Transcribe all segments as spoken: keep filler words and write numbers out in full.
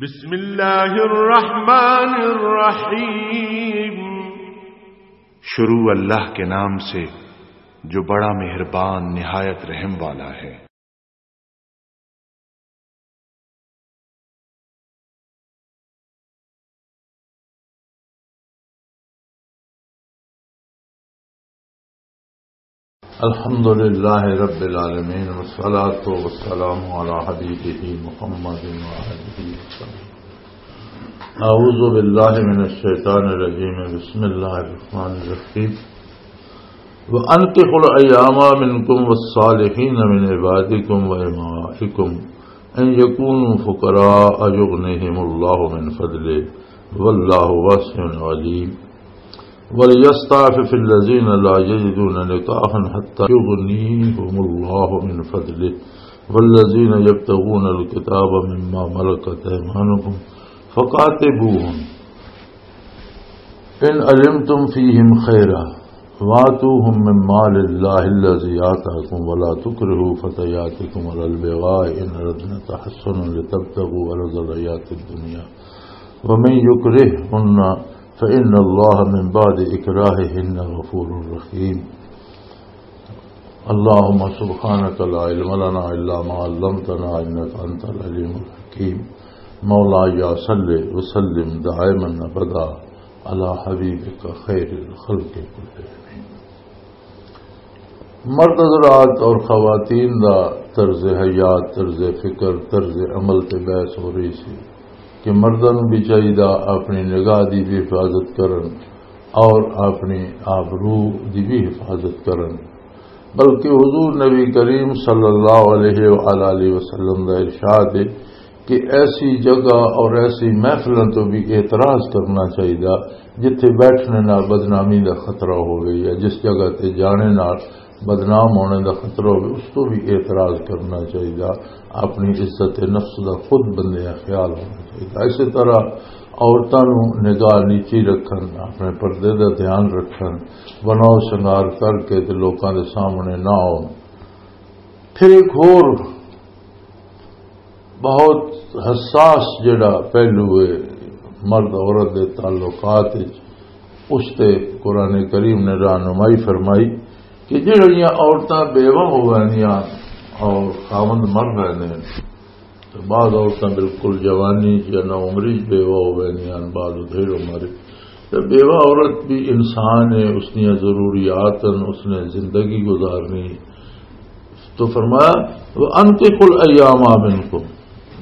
بسم اللہ الرحمن الرحیم۔ شروع اللہ کے نام سے، جو بڑا مہربان، نہایت رحم والا ہے۔ الحمد لله رب العالمين، والصلاة والسلام على حبيبه محمد وآله وسلم. أعوذ بالله من الشيطان الرجيم. بسم الله الرحمن الرحيم. وأنكحوا الأيامى منكم والصالحين من عبادكم وإمائكم إن يكونوا فقراء يغنهم الله من فضله والله واسع عليم. وليستعفف الذين لا يجدون نكاحا حتى يغنيهم الله من فضله والذين يبتغون الكتاب مما ملكت أيمانكم فكاتبوهم إن علمتم فيهم خيرا وآتوهم من مال الله الذي آتاكم ولا تكرهوا فتياتكم على البغاء إن أردن تحصنا لتبتغوا عرض الحياة الدنيا ومن يكرههن فإن الله من بعد إكراههن غفور رحيم. اللهم سبحانك لا علم لنا إلا ما علمتنا إنك أنت العليم الحكيم. مولاي صل وسلم دائما أبدا على حبيبك خير الخلق كلهم. مرد حضرات اور خواتین دا طرز حیات، طرز فکر، طرز عمل تے بحث ہو رہی سی کہ مرداں نوں بھی چاہیدا اپنی نگاہ دی بھی حفاظت کرن اور اپنی آبرو دی بھی حفاظت کرن، بلکہ حضور نبی کریم صلی اللہ علیہ وآلہ وسلم دا ارشاد ہے کہ ایسی جگہ اور ایسی محفلوں تو بھی اعتراض کرنا چاہیے جتھے بیٹھنے نال بدنامی دا خطرہ ہوئے یا جس جگہ تے جانے نال بدنام ہونے دا خطرہ ہوئے، اس تو بھی اعتراض کرنا چاہیے۔ اپنی عزت نفس دا خود بندے خیال ہونا چاہیے۔ اسی طرح عورتاں نوں نگاہ نیچی رکھن، اپنے پردے دا دھیان رکھن، بناؤ سنگار کر کے تے لوکاں دے سامنے نہ آؤن۔ پھر ایک ہور بہت حساس جڑا پہلو ہے مرد عورت دے تعلقات وچ، اس تے قرآن کریم نے رہنمائی فرمائی کہ جڑیاں عورتاں بیوہ ہو ویندیاں اور خاوند مر ویندے نے، تو بعض عورتاں بالکل جوانی چ یا نہ عمری چ بیوہ ہو ویندیاں، بعض ڈھیر عمر۔ تو بیوہ عورت بھی انسان ہے، اس دیاں ضروریات ہیں، اس نے زندگی گزارنی۔ تو فرمایا، "وَأَنكِحُوا الْأَيَامَىٰ مِنكُمْ"،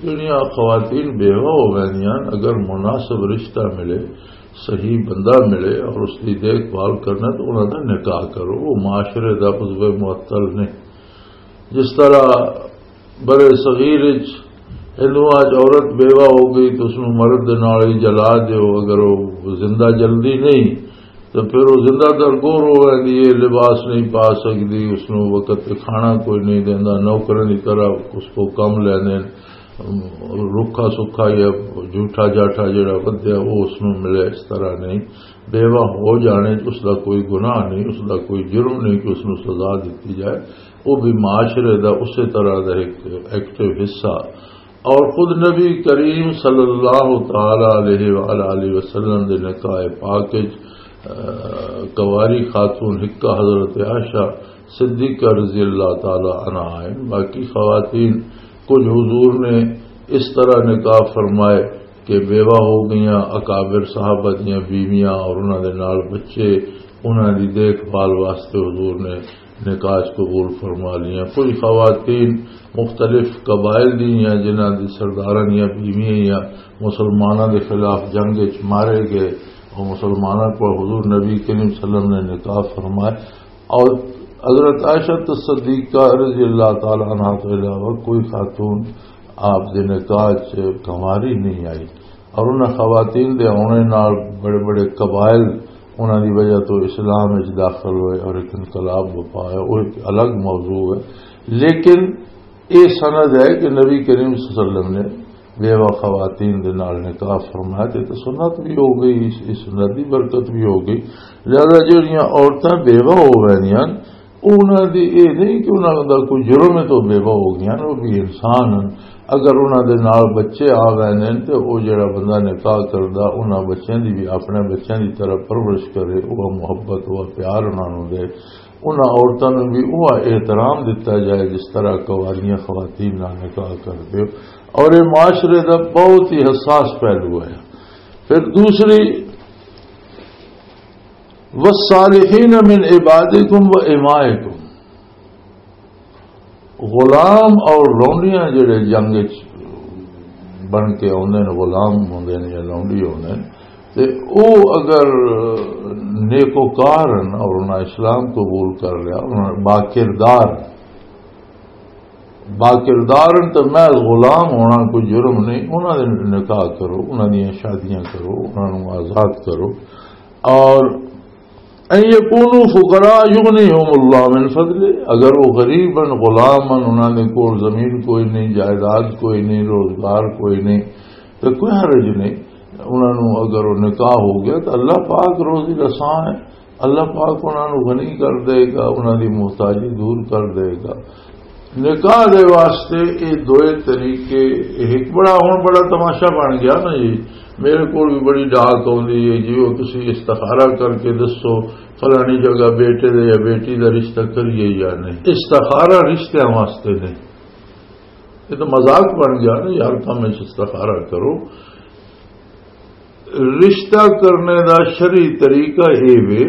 جڑیاں خواتین بیوہ ہو ویندیاں، اگر مناسب رشتہ ملے، صحیح بندہ ملے اور اس کی دیکھ بھال کرنا، تو انہاں دا نکاح کرو۔ وہ معاشرے دا عضو معطل نہیں۔ جس طرح برے صغیر وچ ہندوؤں وچ عورت بیوہ ہو گئی تو اس نوں مرد دے نال ہی جلا دیو، اگر وہ زندہ جلدی نہیں تو پھر وہ زندہ درگور ہو ویندی ہے، لباس نہیں پا سکدی، اس نوں وقت تے کھانا کوئی نہیں دیندا، نوکرن دی طرح اس کو کم لیندے نے، رکھا سکھا یا جھوٹا جاٹا جڑا ودیا وہ اس نوں ملے، اس طرح نہیں۔ بیوہ ہو جانے چ اس دا کوئی گناہ نہیں، اس دا کوئی جرم نہیں کہ اس نوں سزا دتی جائے۔ وہ بھی معاشرے دا اسی طرح دا ایک ایکٹیو حصہ۔ اور خود نبی کریم صلی اللہ تعالی علیہ وآلہ وسلم دے نکاح پاک وچ، آ، کنواری خاتون حکا حضرت عائشہ صدیقہ رضی اللہ تعالی عنہا ہیں۔ باقی خواتین کچھ حضور نے اس طرح نکاح فرمائے کہ بیوہ ہو گئیاں اکابر صحابہ دیاں بیویاں اور انہاں دے نال بچے، انہاں دی دیکھ بھال واسطے حضور نے نکاح قبول فرما لیاں۔ کچھ خواتین مختلف قبائل دیاں جنہاں دی سرداراں دیاں بیویاں یا مسلماناں دے خلاف جنگ وچ مارے گئے، اور مسلماناں کو حضور نبی کریم صلی اللہ علیہ وسلم نے نکاح فرمائے۔ اور حضرت عائشہ صدیقہ رضی اللہ تعالی عنہا تو علاوہ کوئی خاتون آپ دے نکاح چ کنواری نہیں آئی۔ اور انہاں خواتین دے آنے نال بڑے بڑے قبائل انہاں دی وجہ تو اسلام وچ داخل ہوئے اور ایک انقلاب وپا ہے، وہ ایک الگ موضوع ہے۔ لیکن یہ سند ہے کہ نبی کریم صلی اللہ علیہ وسلم نے بیوہ خواتین دے نال نکاح فرمایا تے تے سنت بھی ہو گئی، اس، اس سنت دی برکت بھی ہو گئی۔ لہذا جڑیاں عورتاں بیوہ ہو ویندیاں، انہاں دی اے نہیں کہ انہاں دا کوئی جرم ہے تو بیوہ ہو گیا نا، وہ بھی انسان ہیں۔ اگر انہاں دے نال بچے آ گئے نے تے او جڑا بندہ نکاح کردا، انہاں بچیاں دی بھی اپنے بچیاں دی طرح پرورش کرے، وہ محبت، وہ پیار انہاں نوں دے، انہاں عورتاں نوں بھی وہ احترام دتا جائے جس طرح کواریاں خواتین نال نکاح کردے ہو۔ اور یہ معاشرے دا بہت ہی حساس پہلو ہے۔ پھر دوسری، والصالحین من عبادکم و امائکم، غلام اور لونڈیاں جڑے جنگ وچ بن کے آوندے نے، غلام ہوندے نے یا لونڈی ہوندے نے، تے او اگر نیکوکار ہن اور انہاں اسلام قبول کر لیا، انہاں با کردار، با کردار ہن تے محض غلام ہونا کوئی جرم نہیں۔ انہاں دے نکاح کرو، انہاں دیاں شادیاں کرو، انہاں نوں آزاد کرو۔ اور ان یکونوا فقراء یغنیہم اللہ من فضلہ، اگر وہ غریب ہن، غلام ہن، انہاں دے کول زمین کوئی نہیں، جائیداد کوئی نہیں، روزگار کوئی نہیں، تو کوئی حرج نہیں۔ انہاں نوں اگر وہ نکاح ہو گیا تو اللہ پاک روزی رساں ہے، اللہ پاک انہاں نوں غنی کر دے گا، انہاں دی محتاجی دور کر دے گا۔ نکاح دے واسطے اے دوئے طریقے، اے ایک بڑا، ہن بڑا تماشا بن گیا نا جی۔ میرے کول بھی بڑی ڈاک آوندی ہے جی، وہ تسی استخارہ کر کے دسو فلانی جگہ بیٹے دے یا بیٹی دا رشتہ کریے یا نہیں۔ استخارہ رشتیاں واسطے نہیں، یہ تو مذاق بن گیا نا یار، کم وچ استخارہ کرو۔ رشتہ کرنے دا شرعی طریقہ اے وے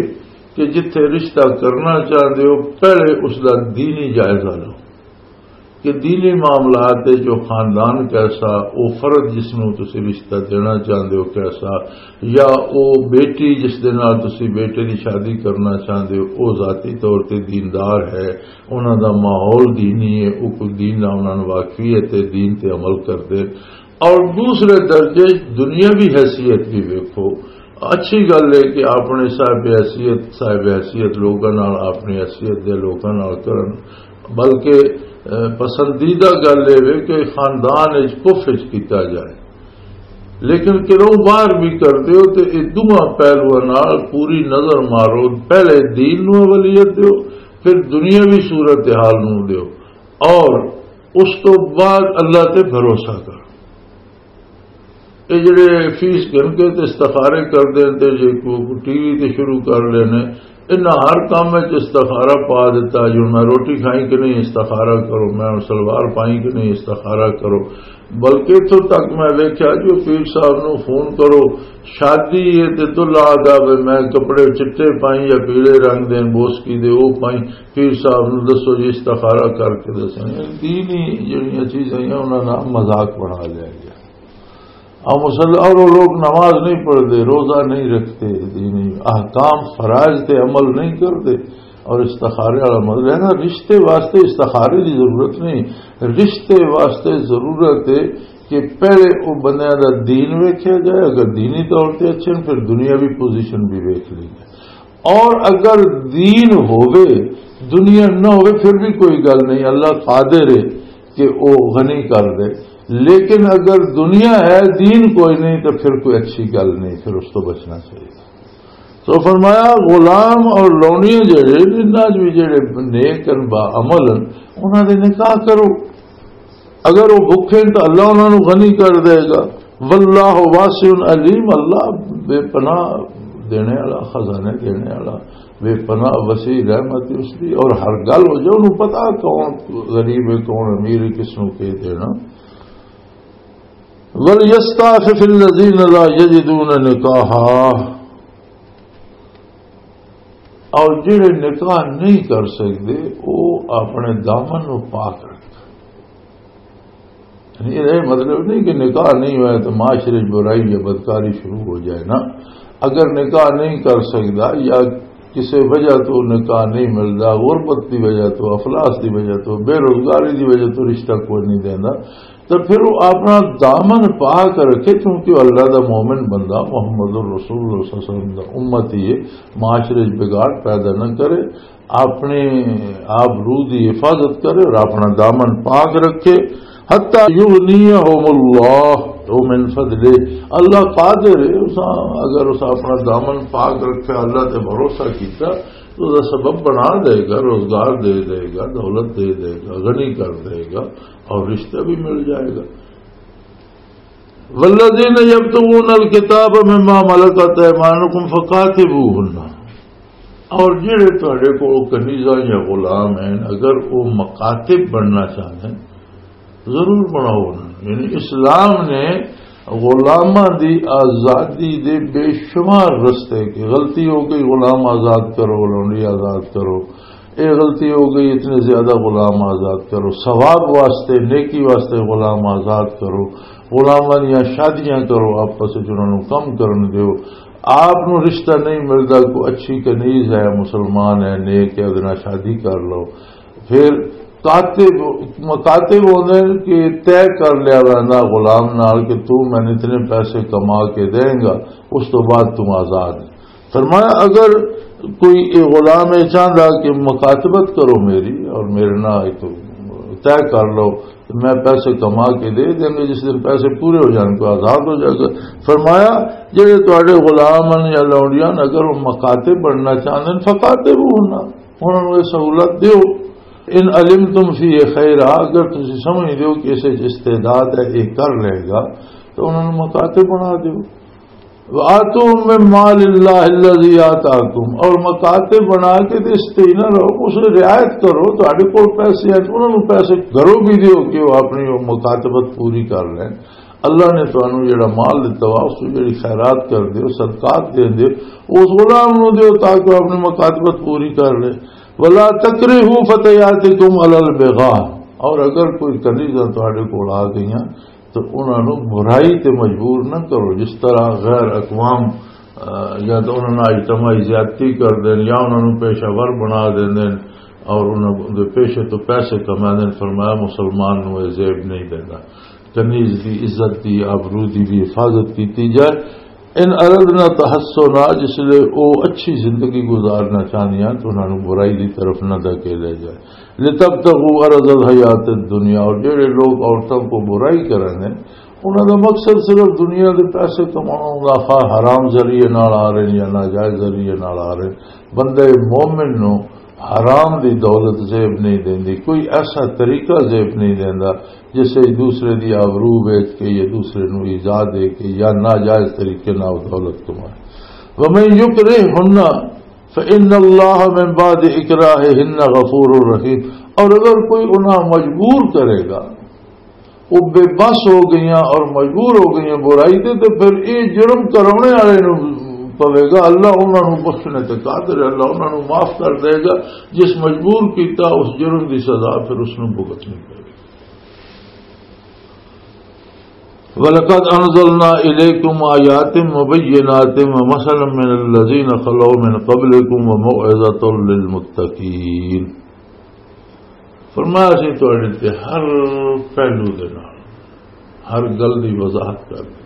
کہ جتھے رشتہ کرنا چاہندے ہو، پہلے اس دا دینی جائزہ لو کہ دینی معاملات ہے، جو خاندان کیسا، او فرد جس نوں تسی رشتہ دینا چاہندے ہو کیسا، یا او بیٹی جس دے نال تسی بیٹے دی شادی کرنا چاہندے ہو، او ذاتی طور تے دیندار ہے، انہاں دا ماحول دینی ہے، او کوئی دین نال انہاں نوں واقفی ہے تے دین تے عمل کردے۔ اور دوسرے درجے دنیاوی حیثیت بھی ویکھو، اچھی گل ہے کہ اپنے صاحب حیثیت، صاحب حیثیت لوگاں نال، اپنی حیثیت دے لوگاں نال کرن، بلکہ، اے، پسندیدہ گل اے وے کہ خاندان وچ پف وچ کیتا جائے۔ لیکن کرو باہر بھی کردے ہو تے اے دوواں پہلوؤں نال پوری نظر مارو، پہلے دین نوں اولیت دیو، پھر دنیاوی صورتحال نوں دیو، اور اس تو بعد اللہ تے بھروسہ کرو۔ یہ جڑے فیس گھن کے تے استخارے کر دین تے جے کو ٹی وی تے شروع کر لینے، انہاں ہر کام وچ استخارہ پا دیتا۔ جو میں روٹی کھائی کہ نہیں، استخارہ کرو، میں سلوار پائی کہ نہیں، استخارہ کرو۔ بلکہ اتھوں تک میں ویکھیا جو پیر صاحب نوں فون کرو، شادی ہے تے دلہا آگا وے، میں کپڑے چٹے پائی یا پیلے رنگ دے بوسکی دے او پائی، پیر صاحب نوں دسو جی، استخارہ کر کے دسو۔ دینی جڑیاں چیزاں ہیں، انہاں دا مذاق بنا لیا گیا۔ اور مسل-، اور وہ لوگ نماز نہیں پڑھتے، روزہ نہیں رکھتے، دینی احکام فرائض تے عمل نہیں کرتے، اور استخارے والا مذہب ہے نا، رشتے واسطے استخارے کی ضرورت نہیں، رشتے واسطے ضرورت ہے کہ پہلے وہ بندے دا دین ویکھیا جائے، اگر دینی طور تے اچھے ہیں، پھر دنیاوی پوزیشن بھی ویکھ لی جائے۔ اور اگر دین ہووے، دنیا نہ ہووے، پھر بھی کوئی گل نہیں، اللہ قادر ہے کہ وہ غنی کر دے۔ لیکن اگر دنیا ہے، دین کوئی نہیں، تو پھر کوئی اچھی گل نہیں، پھر اس تو بچنا چاہیے۔ تو فرمایا، غلام اور لونیاں جڑے، انہاں وچ بھی جڑے نیک ہیں، با عمل ہیں، انہاں دے نکاح کرو۔ اگر وہ بھوکے ہیں تو اللہ انہاں نوں غنی کر دے گا۔ واللہ واسع علیم، اللہ بے پناہ دینے والا، خزانے دینے والا، بے پناہ وسیع رحمت اس دی، اور ہر گل ہو جائے، انہوں پتا کون غریب ہے، کون امیر ہے، کس نوں کے دینا۔ وَلْيَسْتَعْفِفِ الَّذِينَ لَا يَجِدُونَ نِكَاحًا، اور جڑے نکاح نہیں کر سکتے، وہ اپنے دامن نو پاک رکھن۔ یعنی یہ مطلب نہیں کہ نکاح نہیں ہوا تو معاشرے چ برائی یا بدکاری شروع ہو جائے نا۔ اگر نکاح نہیں کر سکتا یا کسی وجہ تو نکاح نہیں ملتا، غربت دی وجہ تو، افلاس دی وجہ تو، بے روزگاری دی وجہ تو رشتہ کوئی نہیں دینا، تو پھر وہ اپنا دامن پاک رکھے، کیونکہ وہ اللہ دا مومن بندہ، محمد الرسول اللہ صلی اللہ علیہ وسلم دا امتی ہے، معاشرے چ بگاڑ پیدا نہ کرے، اپنے آبرو دی حفاظت کرے اور اپنا دامن پاک رکھے۔ حتی یغنیہم اللہ من فضلہ، اللہ قادر ہے، اساں اگر اساں اپنا دامن پاک رکھا، اللہ تے بھروسہ کیتا، تو اس دا سبب بنا دے گا، روزگار دے دے گا، دولت دے دے گا، غنی کر دے گا اور رشتہ بھی مل جائے گا۔ والذین یبتغون الکتاب مما ملکت ایمانکم فکاتبوہن، اور جڑے تہاڈے کول کنیزاں یا غلام ہیں، اگر وہ مکاتب بننا چاہتے ہیں، ضرور بناؤ انہاں نوں۔ یعنی اسلام نے غلاماں دی آزادی دے بے شمار رستے، کہ غلطی ہو گئی غلام آزاد کرو، لونڈی آزاد کرو، اے غلطی ہو گئی، اتنے زیادہ غلام آزاد کرو، ثواب واسطے، نیکی واسطے غلام آزاد کرو، غلاماں دیاں شادیاں کرو، آپس وچ انہاں نوں کم کرن دیو۔ آپ نوں رشتہ نہیں ملدا، کوئی اچھی کنیز ہے، مسلمان ہے، نیک ہے، ادنا شادی کر لو۔ پھر کاتب، مکاتب ہوندے نے کہ طے کر لیا ویندا غلام نال کہ تو مینوں اتنے پیسے کما کے دیں گا، اس تو بعد تم آزاد ہے۔ فرمایا، اگر کوئی یہ غلام یہ چاہتا کہ مکاتبت کرو میری اور میرے نال ایک طے کر لو، تو میں پیسے کما کے دے دیں گے، جس دن پیسے پورے ہو جائیں گے آزاد ہو جائے گا۔ فرمایا، جڑے تہاڈے غلام ہیں یا لونڈیاں نے، اگر وہ مکاتب بننا چاہتے ہیں، فکاتبوہن، انہاں نوں یہ سہولت دیو۔ ان علمتم فیہ خیرا، اگر تسی سمجھ دیو کہ اسے استعداد ہے، یہ کر لے گا، تو انہاں نوں مکاتب بنا دیو۔ وآتوہم من مال اللہ الذی آتاکم، اور مکاتب بنا کے تے اس تے ہی نہ رہو، اس نوں رعایت کرو، تہاڈے کول پیسے ہیں، انہاں نوں پیسے گھروں بھی دیو کہ وہ اپنی وہ مکاتبت پوری کر لیں۔ اللہ نے تانوں جڑا مال دتا وا، اس نوں جڑی خیرات کر دیو، صدقات دے دیو، اس غلام نوں دیو تاکہ وہ اپنی مکاتبت پوری کر لے۔ ولا تکرہوا فتیاتکم علی البغاء، اور اگر کوئی کنیزاں تہاڈے کول آ گئیاں تو انہاں نوں برائی تے مجبور نہ کرو، جس طرح غیر اقوام، آ، یا تو انہاں نال اجتماعی زیادتی کر دین، یا انہاں نوں پیشہ ور بنا دین اور انہاں دے پیشے تو پیسے کما دین۔ فرمایا، مسلمان نوں یہ زیب نہیں دینا۔ کنیز دی عزت دی، آبرو دی بھی حفاظت کیتی جائے۔ ان اردنا تحسنا، جس لئے او اچھی زندگی گزارنا چاہنیاں تو انہاں نوں برائی دی طرف نہ دھکے لے جائے۔ لتبتغوا عرض الحیات الدنیا، اور جڑے لوگ عورتوں کو برائی کریں نے، انہاں دا مقصد صرف دنیا دے پیسے کمانا ہوندا، خواہ حرام ذریعے نال آ رہے ہیں یا ناجائز ذریعے نال آ رہے ہیں۔ بندے مومن نو حرام دی دولت زیب نہیں دیندی، کوئی ایسا طریقہ زیب نہیں دیندا جس سے دوسرے دی آبرو بیچ کے یا دوسرے نو ایذا دے کے یا ناجائز طریقے نال دولت کمائے۔ ومن یکرہہن فإن اللہ من بعد اکراہہن غفور رحیم، اور اگر کوئی انہاں مجبور کرے گا، وہ بے بس ہو گئیاں اور مجبور ہو گئیاں برائی تے، تے پھر یہ جرم کرانے والے نوں پوے گا، اللہ انہاں نوں بخشنے تے قادر ہے، اللہ انہاں نوں معاف کر دے گا۔ جس مجبور کیتا اس جرم دی سزا پھر اس نوں بھگتنی پے گی۔ وَلَقَدْ أَنزَلْنَا إِلَيْكُمْ آيَاتٍ مُبَيِّنَاتٍ وَمَثَلًا مِنَ الَّذِينَ خَلَوْا مِنْ قَبْلِكُمْ وَمَوْعِظَةً لِلْمُتَّقِينَ۔ فرمایا، اسی تہاڈے تے ہر پہلو دے نال ہر گل دی وضاحت کر دتی۔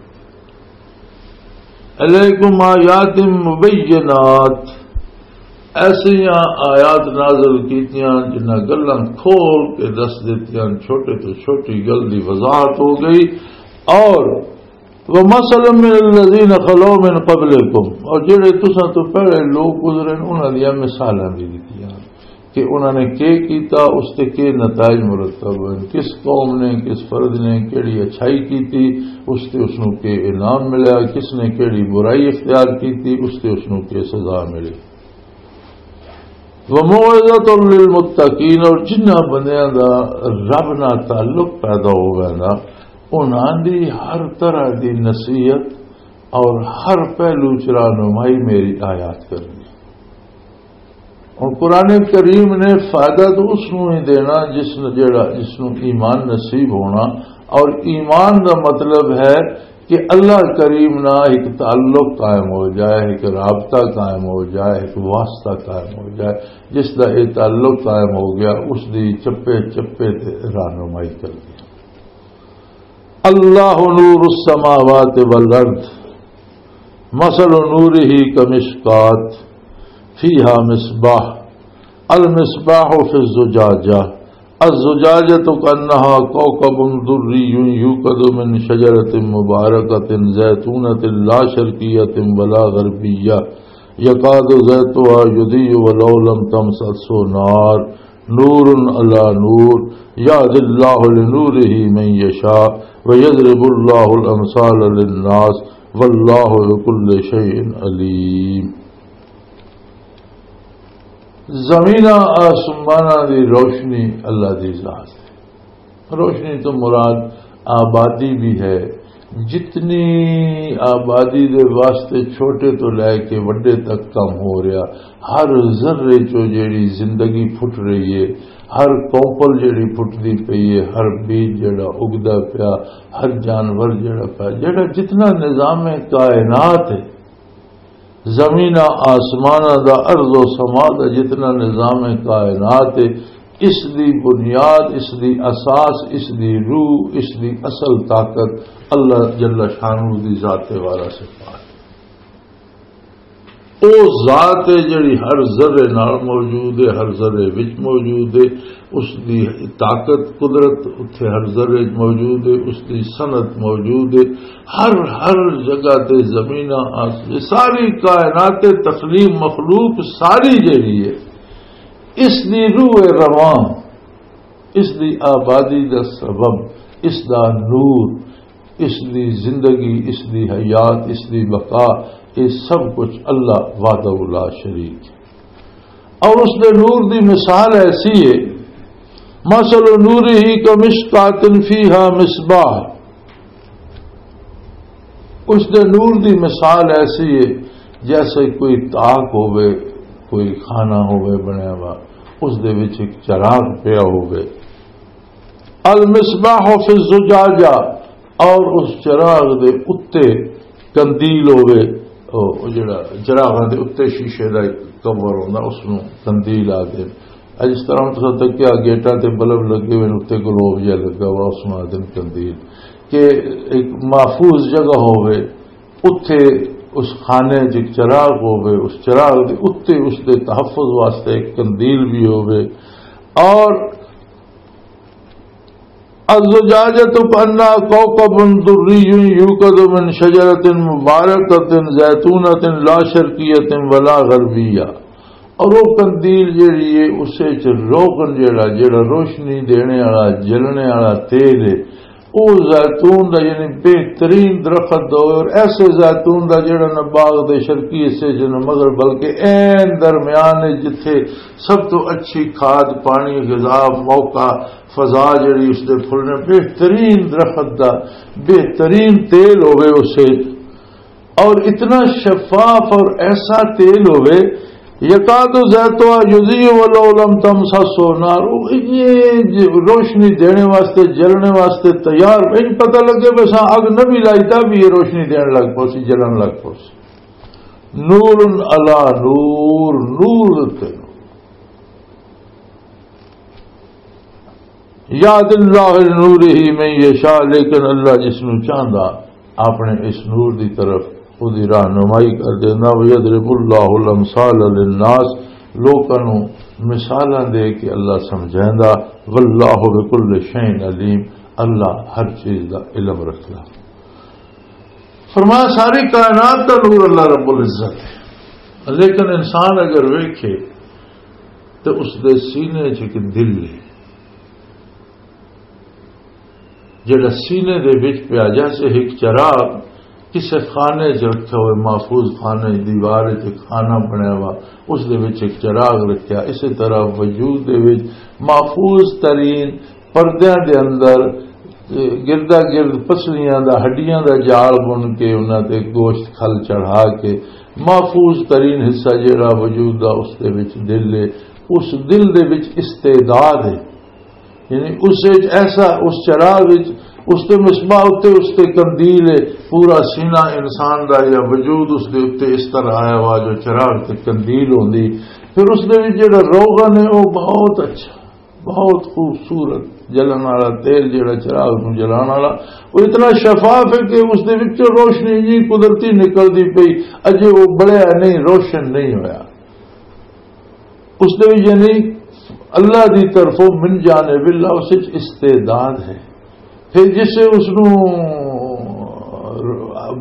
علیکم آیات مبینات، ایسیاں آیات نازل کیتیاں جنہاں گلاں کھول کے دس دتیاں، چھوٹے تو چھوٹی گل دی وضاحت ہو گئی۔ اور ومثل من الذین خلو من قبلکم، اور جڑے تساں تو پہلے لوگ گزرے نے، انہاں دیاں مثالاں بھی دتیاں کہ انہاں نے کی کیتا، اس تے کی نتائج مرتب ہوئے، کس قوم نے، کس فرد نے کیڑی اچھائی کیتی، اس تے اس نوں کی انعام ملیا، کس نے کیڑی برائی اختیار کیتی، اس تے اس نوں کی سزا ملی۔ وموعظۃ للمتقین، اور جنہاں بندیاں دا رب نال تعلق پیدا ہو ویندا، انہاں دی ہر طرح دی نصیحت اور ہر پہلو چ رہنمائی میری آیات کرنی۔ اور قرآن کریم نے فائدہ تو اس نوں ہی دینا جس نوں، جیڑا، جس نوں ایمان نصیب ہونا۔ اور ایمان دا مطلب ہے کہ اللہ کریم نہ ایک تعلق قائم ہو جائے، ایک رابطہ قائم ہو جائے، ایک واسطہ قائم ہو جائے۔ جس دا یہ تعلق قائم ہو گیا، اس دی چپے چپے تے رہنمائی کر دی۔ اللہ نور السماوات والارض، مثل نورہ کمشکات فیہا مصباح، المصباح فی الزجاجہ، الزجاجة كأنها كوكب دري يوقد من شجرة مباركة زيتونة لا شرقية ولا غربية يكاد زيتها يضيء ولو لم تمسسه نار، نور على نور، يهدي الله لنوره من يشاء، ويضرب الله الأمثال للناس، والله بكل شيء عليم۔ زمیناں آسماناں دی روشنی اللہ دی ذات ہے۔ روشنی تو مراد آبادی بھی ہے۔ جتنی آبادی دے واسطے چھوٹے تو لے کے وڈے تک کم ہو رہا، ہر ذرے چوں جیڑی زندگی پھٹ رہی ہے، ہر کوپل جیڑی پھٹدی پئی ہے، ہر بیج جیڑا اگدا پیا، ہر جانور جیڑا پیا، جیڑا جتنا نظام کائنات ہے، زمیناں آسماناں دا، ارض و سما دا جتنا نظام کائنات ہے، اس دی بنیاد، اس دی اساس، اس دی روح، اس دی اصل طاقت اللہ جل شانہ دی ذات والا صفات۔ او ذات ہے جڑی ہر ذرے نال موجود ہے، ہر ذرے وچ موجود ہے۔ اس دی طاقت، قدرت اتھے ہر ذرے وچ موجود ہے، اس دی صنعت موجود ہے۔ ہر، ہر جگہ تے زمیناں، آس-، ساری کائنات، تخلیق، مخلوق ساری جڑی ہے، اس دی روح رواں، اس دی آبادی دا سبب، اس دا نور، اس دی زندگی، اس دی حیات، اس دی بقا، یہ سب کچھ اللہ وحدہ لا شریک ہے۔ اور اس دے نور دی مثال ایسی ہے، مثل نورہ کمشکاتن فیہا مصباح، اس دے نور دی مثال ایسی ہے جیسے کوئی تاک ہوئے، کوئی خانہ ہوئے بنیا ہوا، اس دے وچ ایک چراغ پیا ہوئے۔ المصباح فی الزجاجہ، اور اس چراغ دے اُتے قندیل ہووے، او، او جڑا چراغاں دے اُتے شیشے دا کور ہوندا، اس نوں قندیل آکھدے۔ اج اس طرح تساں تکیا گیٹاں تے بلب لگے ہوئے نے، اُتے گلوب جہا لگا ہوا، اس نوں آکھدے نے قندیل۔ کہ ایک محفوظ جگہ ہووے، اُتے اس خانے 'چ ایک چراغ ہووے، اس چراغ دے اُتے اس دے تحفظ واسطے ایک قندیل بھی ہووے۔ اور الزجاجة كأنها كوكب دري يوقد من شجرة مباركة زيتونة لا شرقية ولا غربية۔ اور وہ قندیل جیڑی ہے، اس وچ روغن جیڑا، جیڑا روشنی دینے والا، جلنے والا تیل ہے، وہ زیتون دا، یعنی بہترین درخت دا ہوئے، اور ایسے زیتون دا جیڑا نہ باغ دے شرقی حصے چ نہ مغرب، بلکہ عین درمیان ہے، جتھے سب تو اچھی کھاد، پانی، غذا، موقع، فضا جڑی اس دے پھلنے، بہترین درخت دا بہترین تیل ہوئے اسے، اور اتنا شفاف اور ایسا تیل ہوئے، یکاد زیتوا یضیء ولو لم تمسسہ نار، وہ یہ روشنی دینے واسطے، جلنے واسطے تیار، ان پتہ لگے بس اگ نہ بھی لائی تا بھی یہ روشنی دین لگ پوسی، جلن لگ پوسی۔ نور علی نور، نور تے نور۔ یاد اللہ نورہ من یشاء، لیکن اللہ جس نوں چاہندا اپنے اس نور دی طرف، او دی رہنمائی کر دیندا۔ ویضرب اللہ الامثال للناس، لوکاں نوں مثالاں دے کے اللہ سمجھیندا۔ واللہ بکل شیء علیم، اللہ ہر چیز دا علم رکھدا۔ فرمایا، ساری کائنات دا نور اللہ رب العزت ہے، لیکن انسان اگر ویکھے تو اس دے سینے چ ایک دل ہے، جڑا سینے دے وچ پیا، جیسے ایک چراغ کسے خانے چ رکھا ہوئے، محفوظ خانے، دیوار چ ایک خانہ بنیا ہوا، اس دے وچ ایک چراغ رکھیا، اسی طرح وجود دے وچ محفوظ ترین پردیاں دے اندر، اے، گردا گرد پسلیاں دا، ہڈیاں دا جال بن کے، انہاں تے گوشت کھل چڑھا کے، محفوظ ترین حصہ جیڑا وجود دا، اس دے وچ دل ہے۔ اس دل دے وچ استعداد ہے، یعنی اس وچ ایسا، اس چراغ وچ، اس تے مصباح اُتے، اس تے قندیل ہے، پورا سینہ انسان دا یا وجود اس دے اُتے اس طرح آیا ہوا جو چراغ تے قندیل ہوندی۔ پھر اس دے وچ جیڑا روغن ہے، وہ بہت اچھا، بہت خوبصورت جلن والا تیل، جیڑا چراغ نوں جلان والا، وہ اتنا شفاف ہے کہ اس دے وچوں روشنی جی قدرتی نکلدی پئی، اجے وہ بلیا نہیں، روشن نہیں ہویا۔ اس دے وچ یعنی اللہ دی طرفوں من جانب اللہ اس وچ استعداد ہے۔ پھر جس اس نوں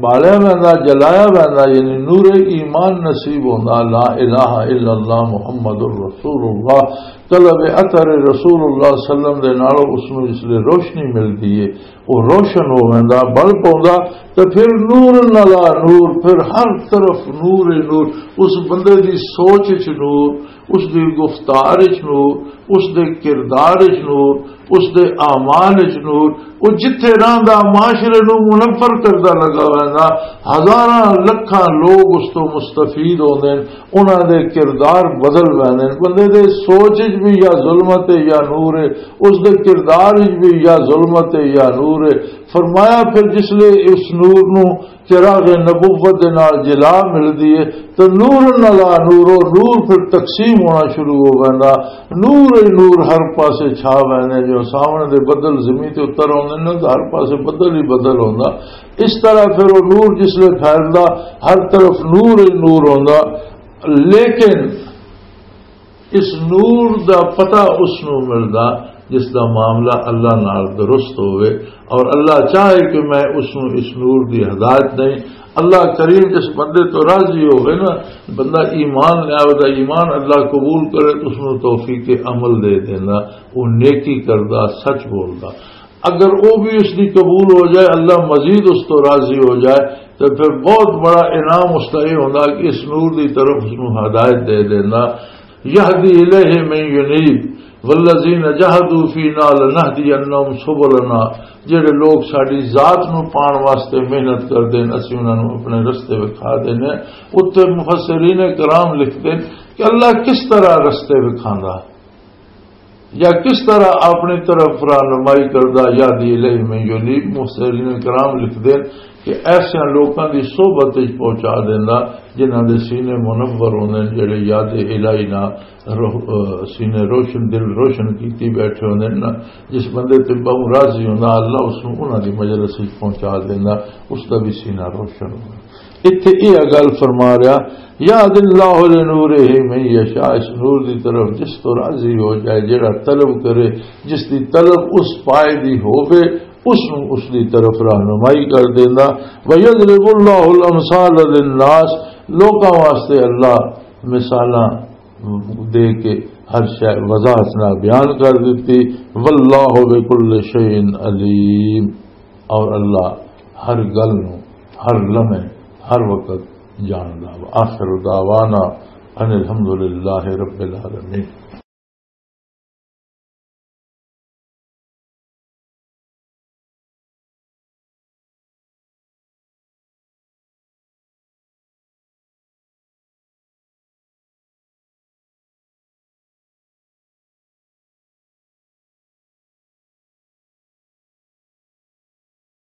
بالیا ویندا، جلایا ویندا، یعنی نور ایمان نصیب ہوندا، لا الہ الا اللہ محمد رسول اللہ، طلب اثر رسول اللہ صلی اللہ علیہ وسلم دے نال اس نوں اس لئے روشنی ملدی ہے، وہ روشن ہو ویندا، بل پوندا، تے پھر نور نلا نور، پھر ہر طرف نور ہی نور، اس بندے دی سوچ وچ نور، اس دی گفتار وچ نور، اس دے کردار وچ نور، اس دے اعمال وچ نور۔ وہ جتھے رہندا، معاشرے نوں منور کردا لگا ویندا۔ ہزاراں لکھاں لوگ اس تو مستفید ہوندے نے، انہاں دے کردار بدل ویندے نے۔ بندے دے سوچ وچ بھی یا ظلمت ہے یا نور ہے، اس دے کردار وچ بھی یا ظلمت ہے یا نور ہے۔ فرمایا، پھر جس لے اس نور نوں چراغ نبوت دے نال جلا ملدی ہے، تے نور نلا نور، او نور پھر تقسیم ہونا شروع ہو ویندا۔ نور ہی نور ہر پاسے چھا ویندے، جو سامنے دے بدل زمین تے اتر آوندے نے، تے ہر پاسے بدل ہی بدل ہوندا۔ اس طرح پھر وہ نور جس لے پھیلدا، ہر طرف نور ہی نور ہوندا۔ لیکن اس نور دا پتہ اس نوں ملدا جس دا معاملہ اللہ نال درست ہوئے، اور اللہ چاہے کہ میں اس نوں اس نور دی ہدایت دیں۔ اللہ کریم جس بندے تو راضی ہوئے نا، بندہ ایمان لے آوے، دا ایمان اللہ قبول کرے تو اس نوں توفیق عمل دے دینا، وہ نیکی کردا، سچ بولدا۔ اگر وہ بھی اس کی قبول ہو جائے، اللہ مزید اس تو راضی ہو جائے، تو پھر بہت بڑا انعام اس کا یہ ہوتا کہ اس نور دی طرف اس نوں ہدایت دے دینا۔ یہدی الیہ من ینیب، والذین جہدوا فینا لنہدینہم سبلنا۔ جڑے لوگ ساڈی ذات نوں پان واسطے محنت کردے نے، اسی انہاں نوں اپنے رستے وکھا دینے۔ اتھے مفسرین کرام لکھدے نے کہ اللہ کس طرح رستے وکھاندا، یا کس طرح اپنی طرف رہنمائی کردا، یہدی الیہ من ینیب۔ مفسرین کرام لکھدے نے کہ ایسے لوکاں دی صحبت وچ پہنچا دیندا جنہاں دے سینے منور ہوندے نے، جڑے یاد الہی نال روح-، اہ، سینے روشن، دل روشن کیتی بیٹھے ہوندے نے نا۔ جس بندے تے بہوں راضی ہوندا، اللہ اس نوں انہاں دی مجلس وچ پہنچا دیندا، اس دا بھی سینہ روشن ہوندا۔ اتھے یہ گل فرما رہا، یہدی اللہ لنورہ من یشاء، اس نور دی طرف جس تو راضی ہو جائے، جڑا طلب کرے، جس دی طلب اس پائے دی ہووے، اس نوں اس دی طرف رہنمائی کر دیندا۔ وَيَضْرِبُ اللَّهُ الْأَمْثَالَ لِلنَّاسِ، لوکاں واسطے اللہ مثالاں دے کے ہر شے وضاحت نال بیان کر دتی۔ وَاللَّهُ بِكُلِّ شَيْءٍ عَلِيمٌ، اور اللہ ہر گل نوں، ہر لمحے، ہر وقت جاندا۔ وآخر دعوانا ان الحمد للہ رب العالمین۔